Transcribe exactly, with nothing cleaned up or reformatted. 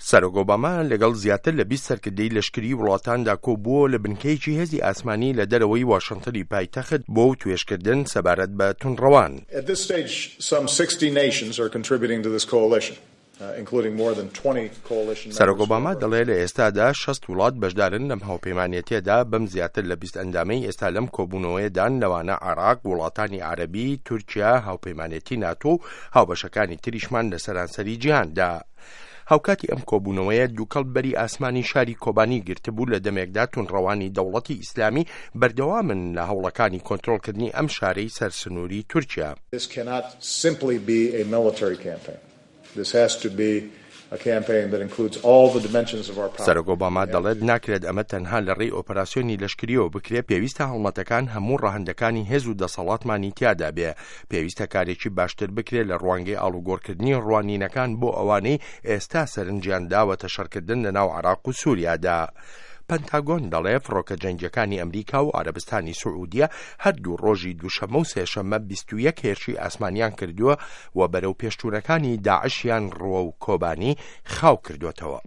سەرۆک ئۆباما لەگەڵ زیاتر لە بیست سەرکردەی لەشکری وڵاتاندا کۆبووە لە بنکەیەکی هێزی ئاسمانی لە دەرەوەی واشنتنی پایتەخت بۆ وتوێژکردن سەبارەت بە توندڕەوان. At this stage, some sixty nations are contributing to this coalition, uh, including more than twenty coalition سەرۆک ئۆباما دەڵێ لە ئێستادا شەست وڵات بەشدارن لەم هاوپەیمانێتیەدا، بەم زیاتر لە بیست ئەندامەی ئێستا لەم کۆبوونەوەیەدان، لەوانە عێراق، وڵاتانی عەرەبی، تورکیا، هاوپەیمانێتی ناتۆ و هاوبەشەکانی تریشمان لە سەرانسەری جیهاندا. هاوکاتی ئەم کۆبوونەوەیە دووکەڵ بەری ئاسمانی شاری کۆبانی گرتبوو، لە دەمێکدا توندڕەوانی دەوڵەتی ئیسلامی بەردەوامن لە هەوڵەکانی کۆنترۆڵکردنی ئەم شارەی سەر سنووری تورکیا. This cannot simply be a military campaign. This has to be a campaign that includes all the dimensions of our power. سەرۆک ئۆباما دەڵێت ناکرێت ئەمە تەنها لە ڕێی ئۆپەراسیۆنی لەشکریەوە بکرێت، پێویستە هەڵمەتەکان هەموو ڕەهەندەکانی هێز و دەسەڵاتمانی تیادا بێ. پێویستە کارێکی باشتر بکرێت لە ڕوانگەی ئاڵوگۆڕکردنی ڕوانینەکان بۆ ئەوانەی ئێستا سەرنجیان داوەتە شەڕکردن لە ناو عێراق و سووریادا. پەنتاگۆن دەڵێ فڕۆکە جەنگیەکانی ئەمریکا و عەرەبستانی سعودیە هەردوو ڕۆژی دووشەممە و سێشەممە بیست و یەک هێرشی ئاسمانیان کردووە و بەرەو پێشچوونەکانی داعشیان ڕووە و کۆبانی خاو کردوێتەوە.